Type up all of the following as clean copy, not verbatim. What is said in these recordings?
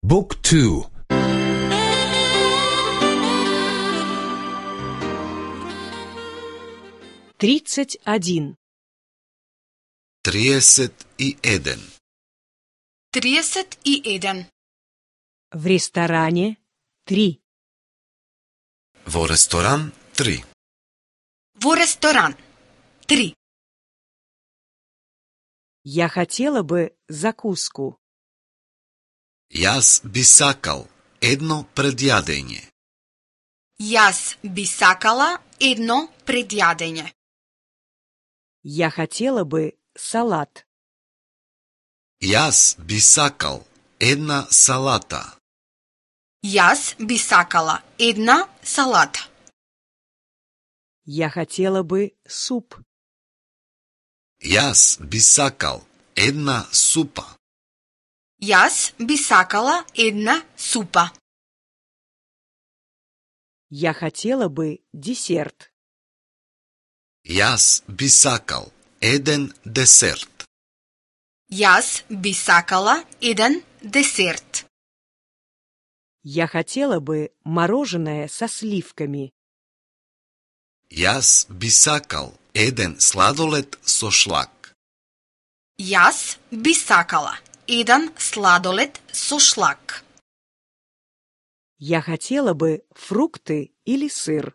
Book 2. Тридцать один. 31. 31. В ресторане 3. Во ресторан 3. Во ресторан 3. Я хотела бы закуску. Јас би сакал едно предјадење. Јас би сакала едно предјадење. Я хотела бы салат. Јас би сакал една салата. Јас би сакала една салата. Я хотела бы суп. Јас би сакал една супа. Јас би сакала една супа. Я хотела бы десерт. Јас би сакал еден десерт. Јас би сакала еден десерт. Я хотела бы мороженое со сливками. Јас би сакал еден сладолед со шлак. Јас би сакала еден сладолед со шлак. Я хотела бы фрукты или сыр.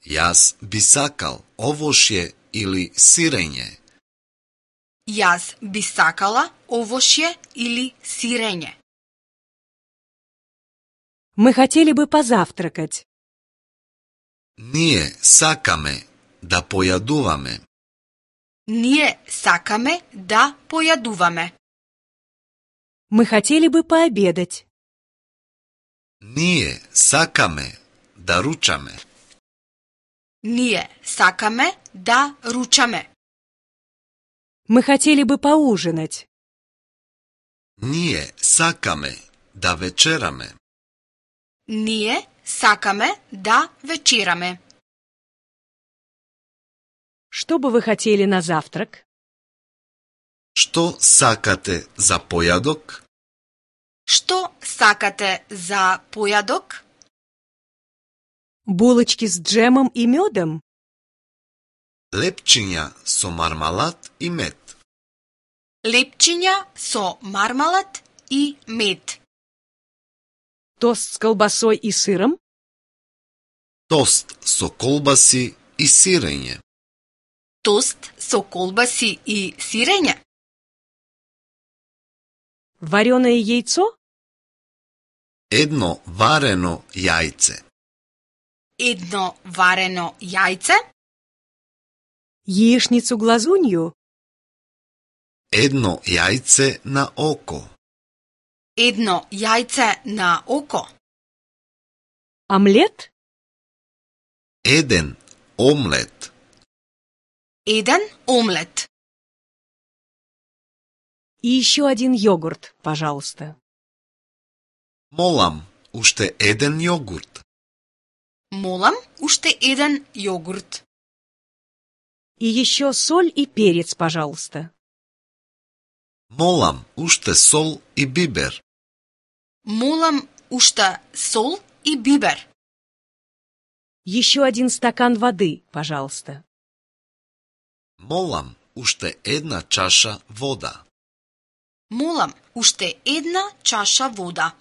Јас би сакал овошје или сирење. Јас би сакала овошје или сирење. Мы хотели бы позавтракать. Ние сакаме да појадуваме. Ние сакаме да појадуваме. Мы хотели бы пообедать. Ние сакаме да ручаме. Ние сакаме да ручаме. Мы хотели бы поужинать. Ние сакаме да вечераме. Ние сакаме да вечераме. Что бы вы хотели на завтрак? Што сакате за појадок? Што сакате за појадок? Булочки с джемом и медом? Лепчиња со мармалад и мед. Лепчиња со мармалад и мед. Тост с колбасой и сыром? Тост со колбаси и сирење. Тост со колбаси и сирење. Вареное яйцо? Едно варено јајце. Едно варено јајце. Яичницу-глазунью? Едно јајце на око. Едно јајце на око. Омлет? Еден омлет. Еден омлет. И еще один йогурт, пожалуйста. Молам, уште еден јогурт. Молам, уште еден јогурт. И еще соль и перец, пожалуйста. Молам, уште сол и бибер. Молам, уште сол и бибер. Еще один стакан воды, пожалуйста. Молам, уште една чаша вода. Молам, уште една чаша вода.